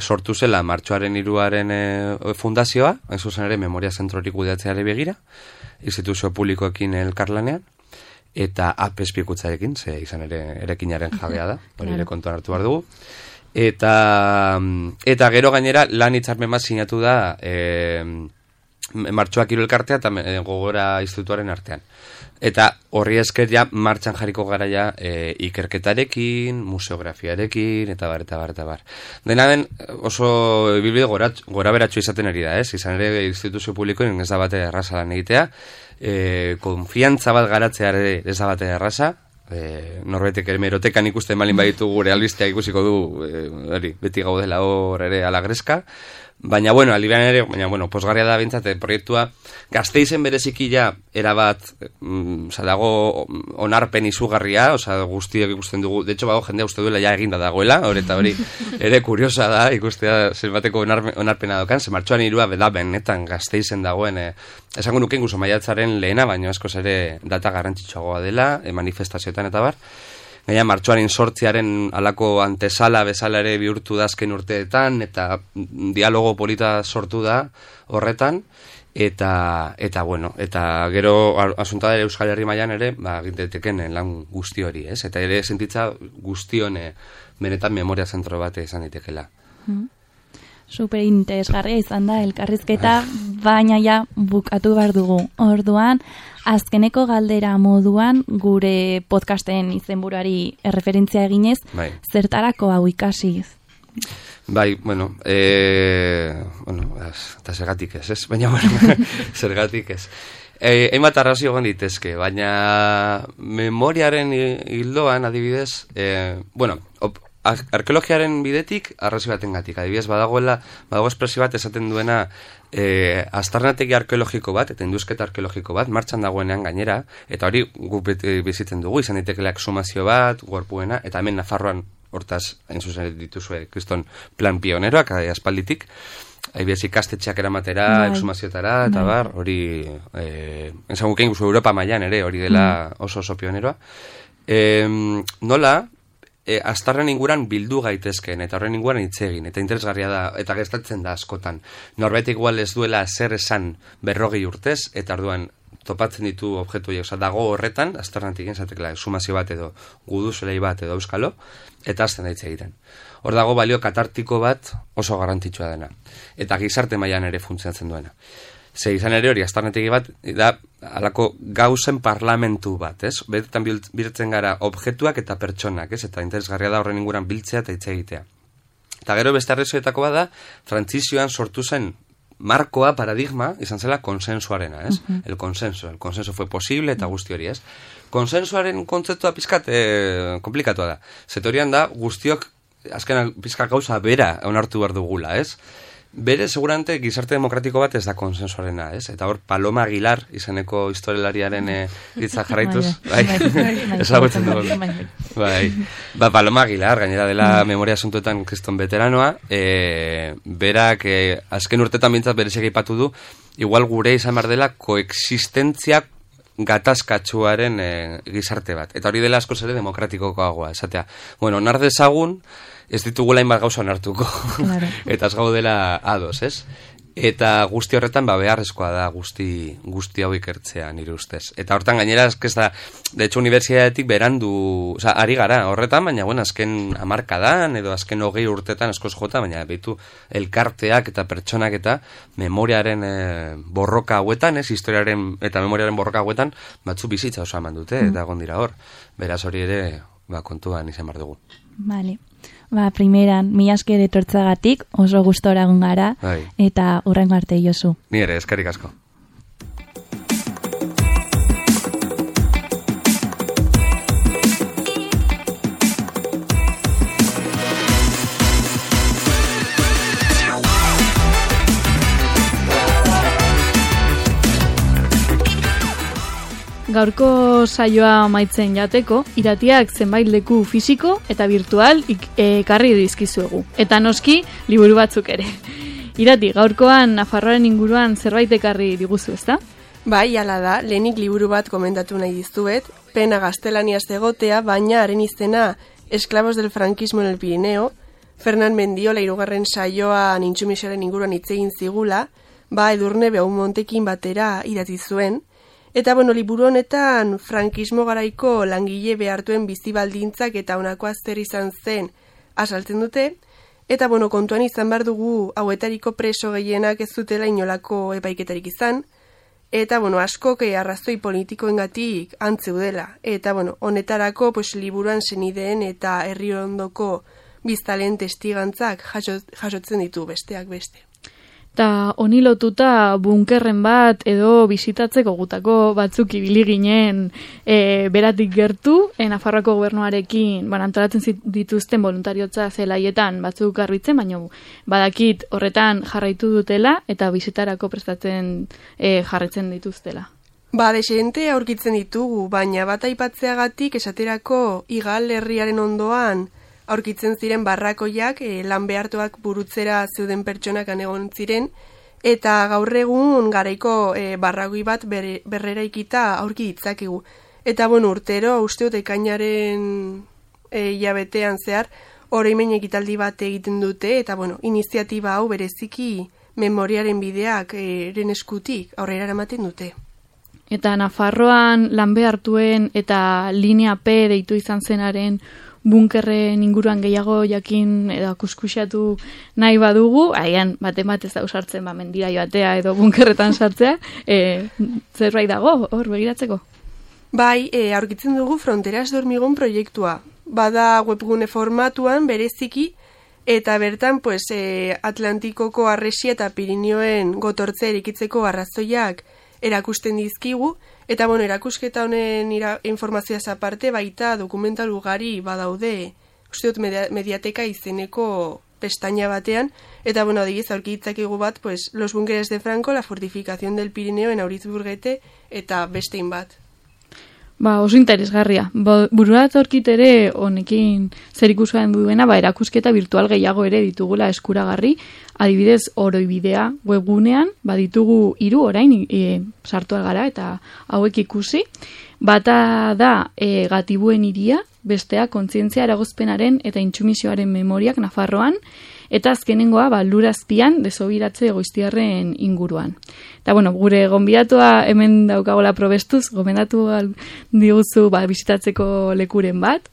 sortu zela Martxoaren 3. Fundazioa, hain zuzen ere, memoria zentrorik kudeatzeari begira, instituzio publikoekin elkarlanean, eta apespikutzarekin, ze izan ere erekinaren jabea da, hori ere kontuan hartu behar dugu. Eta gero gainera, lan hitzarmen bat sinatu da Martxoak 3 elkartea eta Gogora institutuaren artean. Eta horri esker ja martxan jarriko gara ja ikerketarekin, museografiarekin, eta bar. Dena den oso ibilbide gora beratxo izaten ari da, ez? Izan ere instituzio publikoen ez da bate erraza lan egitea, konfiantza bat garatzea ere ez da bate erraza, norbaitek ere merotekan ikusten malin baditu gure albistea ikusiko du, beti gaudela hor ere alagreska, baina alibean ere, posgarria da bintzat, proiektua Gasteizen bereziki ja erabat dago onarpen izugarria, guztiak ikusten dugu, de hecho jendea uste duela ja eginda dagoela, hori ere kuriosa da ikustea zenbateko onarpena dokan, ze Martxoan 3 da benetan Gasteizen dagoen, esango nuke inguso maiatzaren lehena, baina askoz ere data garrantzitsuagoa dela, manifestazioetan eta bar. Gaina Martxoaren 8 alako antesala bezala ere bihurtu da azken urteetan, eta dialogo polita sortu da horretan, eta gero asunta ere Euskal Herri mailan ere, ginteteken lan guzti hori, ez? Eta ere sentitza guztion benetan memoria zentro bat izan ditekela. Super interesgarria izan da elkarrizketa, baina ja bukatu behar dugu. Orduan, azkeneko galdera moduan gure podcasten izenburuari erreferentzia eginez, zertarako hau ikasi? Eta zergatik ez? Baina, zergatik ez. Hainbat arrazio egon ditezke, baina memoriaren hildoan, adibidez, arkeologiaren bidetik arrazio batengatik. Adibidez, badago espresio bat esaten duena aztarnategi arkeologiko bat, eta induzketa arkeologiko bat, martxan dagoenean gainera, eta hori guk bizitzen dugu, izan ditekeela exhumazio bat, gorpuena, eta hemen Nafarroan, hortaz, hain zuzen dituzue, kriston plan pioneroak, aspalditik, adibidez ikastetxeak eramatera, exhumazioetara, eta bar, hori, entzanguke inguzu Europa mailan ere, hori dela oso pioneroa. Nola, aztarren inguran bildu gaitezken, eta horren inguran hitz egin, eta interesgarria da, eta gertatzen da askotan. Norbait igual ez duela zer esan 40 urtez, eta orduan topatzen ditu objektu horiek, dago horretan, aztarnatik enzatekela, exhumazio bat edo guduzelei bat edo euskalo, eta azten da hitz egiten. Hor dago balio katartiko bat oso garrantzitsua dena, eta gizarte mailan ere funtzionatzen duena. Ze izan ere hori, aztarnetegi bat, da, alako gauzen parlamentu bat, ez? Betetan biltzen gara objektuak eta pertsonak, ez? Eta interesgarria da horren inguran biltzea eta hitz egitea. Eta gero beste arrazoietako bada, trantzizioan sortu zen markoa, paradigma, izan zela konsensuarena, ez? El consenso fue posible eta guzti hori, ez? Konsensuaren kontzeptua pizkat komplikatua da. Zetorian da, guztiok, azken pizkat gauza bera onartu behar dugula, ez? Bere, seguramente, gizarte demokratiko bat ez da konsensuarena, ez? Eta hor, Paloma Aguilar, izeneko historialariaren hitza jarraituz. Ezagutzen dugu. Paloma Aguilar, gainera dela memoria asuntuetan kriston veteranoa, berak, azken urtetan bintzat berezek aipatu du, igual gure izan behar dela koexistentzia gatazkatsuaren gizarte bat. Eta hori dela askoz ere demokratikokoagoa, esatea. Bueno, nar dezagun, ez ditugula inbat gauza onartuko. Claro. Eta ez gaudela ados, ez? Eta guzti horretan beharrezkoa da guzti hau ikertzea nire ustez. Eta hortan gainera ez da, de hecho, unibertsitatetik berandu, ari gara horretan, baina bueno, azken hamarkadan edo azken 20 urtetan askoz jota, baina behitu elkarteak eta pertsonak eta memoriaren borroka hauetan, ez, historiaren eta memoriaren borroka hauetan, batzu bizitza oso eman dute, eta egon dira hor. Beraz hori ere, kontuan izan behar dugu. Vale. Primeran, mila esker etortzagatik, oso gustora egon gara, eta hurrengo arte Josu. Ni ere, eskerrik asko. Gaurko saioa amaitzen jateko, iratiak zenbait leku fisiko eta virtual ekarri dizkizuegu. Eta noski, liburu batzuk ere. Irati, gaurkoan Nafarroaren inguruan zerbait ekarri diguzu, ezta? Bai, hala da, lehenik liburu bat komentatu nahi dizuet, pena gaztelaniaz egotea, baina haren izena Esclavos del franquismo en el Pirineo, Fernan Mendiola 3. saioan intsumisioaren inguruan hitz egin zigula, Edurne Beaumontekin batera idatzi zuen. Eta, liburu honetan, frankismo garaiko langile behartuen bizibaldintzak eta honakoa zer izan zen azaltzen dute. Eta, kontuan izan behar dugu hauetariko preso gehienak ez zutela inolako epaiketarik izan. Eta, askok arrazoi politikoengatik antzeudela. Eta, honetarako liburuan senideen eta herri ondoko biztalen testigantzak jasotzen ditu besteak beste. Eta honi lotuta bunkerren bat edo bisitatzeko gutako batzuk ibili ginen beratik gertu, Nafarroako gobernuarekin antolatzen dituzten voluntariotza zelaietan batzuk garbitzen, baina badakit horretan jarraitu dutela eta bisitarako prestatzen jarraitzen dituztela. Desente aurkitzen ditugu, baina bat aipatzeagatik esaterako Igal herriaren ondoan aurkitzen ziren barrakoiak, lan behartuak burutzera zeuden pertsonak egon ziren, eta gaur egun garaiko barrakoi bat berreraikita aurki ditzakegu. Eta urtero, uste dut ekainaren hilabetean zehar, oroimen ekitaldi bat egiten dute, eta iniziatiba hau bereziki memoriaren bideak eren eskutik aurrera eramaten dute. Eta Nafarroan lan behartuen eta linea P deitu izan zenaren bunkerren inguruan gehiago jakin edo kuskusiatu nahi badugu, haian bat ez da usartzen mendira joatea edo bunkerretan sartzea, zerbait dago hor begiratzeko? Bai, aurkitzen dugu Fronteras de Hormigón proiektua. Bada webgune formatuan bereziki, eta bertan Atlantikoko harresia eta Pirinioen gotortzea erikitzeko arrazoiak erakusten dizkigu, eta erakusketa honen informazioaz aparte baita dokumental ugari badaude, uste dut mediateka izeneko pestaña batean, eta adibidez aurkitzakegu bat, Los búnkeres de Franco, la fortificación del Pirineo en Auritzburgete, eta bestein bat. Oso interesgarria. Bururat aurkitere honekin zer ikusten duena, erakusketa virtual gehiago ere ditugula eskuragarri, adibidez oroibidea webgunean, ditugu 3 orain sartu algara eta hauek ikusi. Bata da Gatibuen hiria, bestea kontzientzia eragozpenaren eta intsumisioaren memoriak Nafarroan, eta azkenengoa lurazpian desobiratze egoiztiarren inguruan. Eta gure gonbidatua hemen daukagola probestuz, gomendatu diguzu bisitatzeko lekuren bat.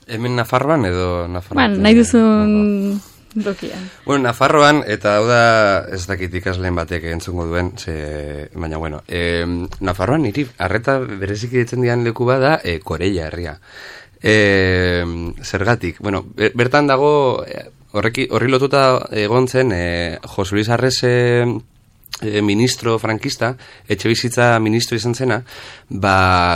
Hemen Nafarroan edo Nafarroan? Nahi duzun Dokian. Bueno, Nafarroan, eta hau da ez dakit ikasleen batek entzungo duen, baina bueno, Nafarroan niri arreta bereziki ditzen dian leku bada Koreia herria. Zergatik, bueno, bertan dago, horri lotuta egon zen Jose Luis Arrese ministro frankista, etxebizitza ministro izan zena,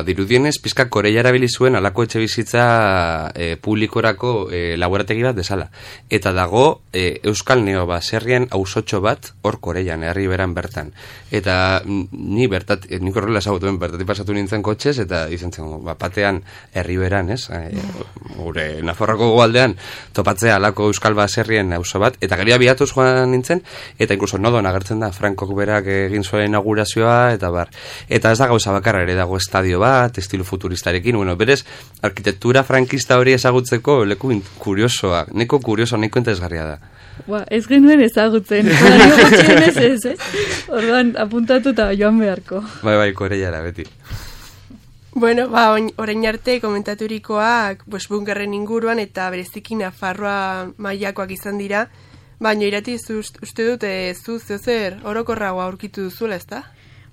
dirudienez, pizka Koreia erabili zuen alako etxebizitza publikorako laborategi bat desala. Eta dago Euskal Neo baserrien auzotxo bat hor Koreian, herri beran bertan. Eta nik horrela esagutuen bertatik pasatu nintzen kotxez, eta izan zen, batean herri beran, ez? Gure Nafarroako goaldean topatzea alako Euskal baserrien auzo bat, eta gero abiatuz joan nintzen, eta inkluso nodon agertzen da Frankok berak egin zuen inaugurazioa, eta bar. Eta ez da gauza bakarra ere, dago estadio bat, estilo futuristarekin, bueno, berez, arkitektura frankista hori ezagutzeko leku kuriosoa, neko interesgarria da. Ez genuen ezagutzen, ez? Orduan, apuntatuta joan beharko. Bai, Koreiara, beti. Bueno, orain arte komentaturikoak bunkerren inguruan eta bereziki Nafarroa mailakoak izan dira, baina irati uste dut zer orokorragoa aurkitu duzula, ezta?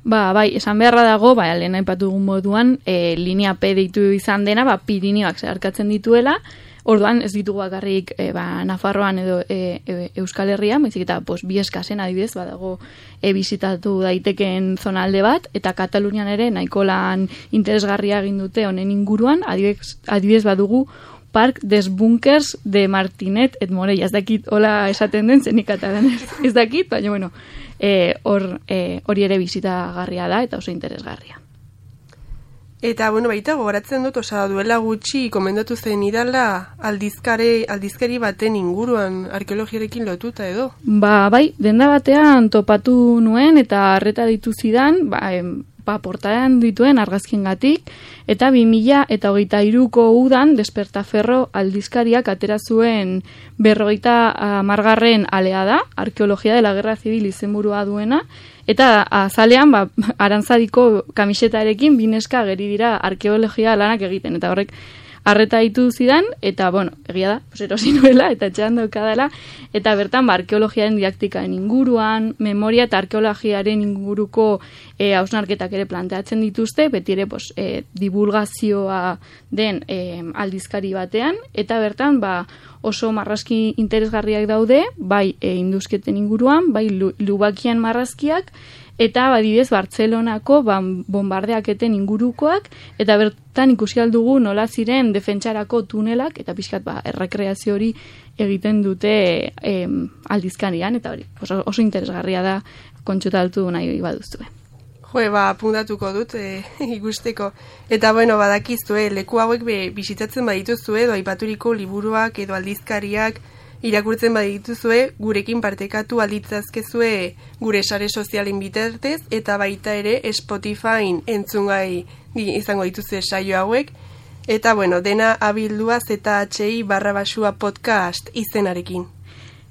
Bai, esan beharra dago, lehen aipatu dugun moduan, linea P deitu izan dena, Pirinioak zeharkatzen dituela, orduan ez ditugu bakarrik Nafarroan edo Euskal Herrian, baizik eta bi eskasen adibidez, badago bizitatu daitekeen zonalde bat, eta Katalunian ere nahiko lan interesgarria egin dute honen inguruan, adibidez badugu Parc des Bunkers de Martinet et Morella. Ez dakit hola esaten den zenik katalanez. Ez dakit, baina bueno, hori ere bizitagarria da eta oso interesgarria. Eta bueno, baita gogoratzen dut, duela gutxi komendatu zen idala aldizkari baten inguruan arkeologiarekin lotuta edo. Bai, denda batean topatu nuen eta harreta ditu zidan, portadan dituen argazkiengatik, eta 2023ko udan Despertaferro aldizkariak atera zuen 50. alea da, Arkeologia de la Guerra Civil izenburua duena, eta azalean arantzadiko kamisetarekin bineska ageri dira arkeologia lanak egiten, eta horrek harreta ditu zidan, eta, egia da, erosi nuela, eta etxean daukadala, eta bertan, arkeologiaren didaktikaen inguruan, memoria eta arkeologiaren inguruko hausnarketak ere planteatzen dituzte, beti ere, divulgazioa den aldizkari batean, eta bertan, oso marrazki interesgarriak daude, bai induzketen inguruan, bai Lubakian marrazkiak, eta badidez Bartzelonako bombardeaketen ingurukoak, eta bertan ikusi aldugu nola ziren defentsarako tunelak, eta pixkat errekreazio hori egiten dute aldizkarian, eta hori oso interesgarria da kontsultatu nahi baduzue. Apuntatuko dut ikusteko. Eta badakizue, leku hauek bisitatzen badituzue, edo aipaturiko liburuak edo aldizkariak irakurtzen badituzue, gurekin partekatu alditzazkezue gure sare sozialen bitartez, eta baita ere Spotifyn entzungai izango dituzue saio hauek, eta dena abildua ZHI/basua podcast izenarekin.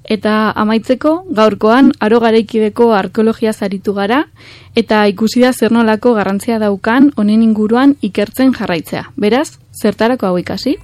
Eta amaitzeko, gaurkoan, aro garaikideko arkeologia zaritu gara, eta ikusi da zer nolako garrantzia daukan honen inguruan ikertzen jarraitzea. Beraz, zertarako hau ikasi?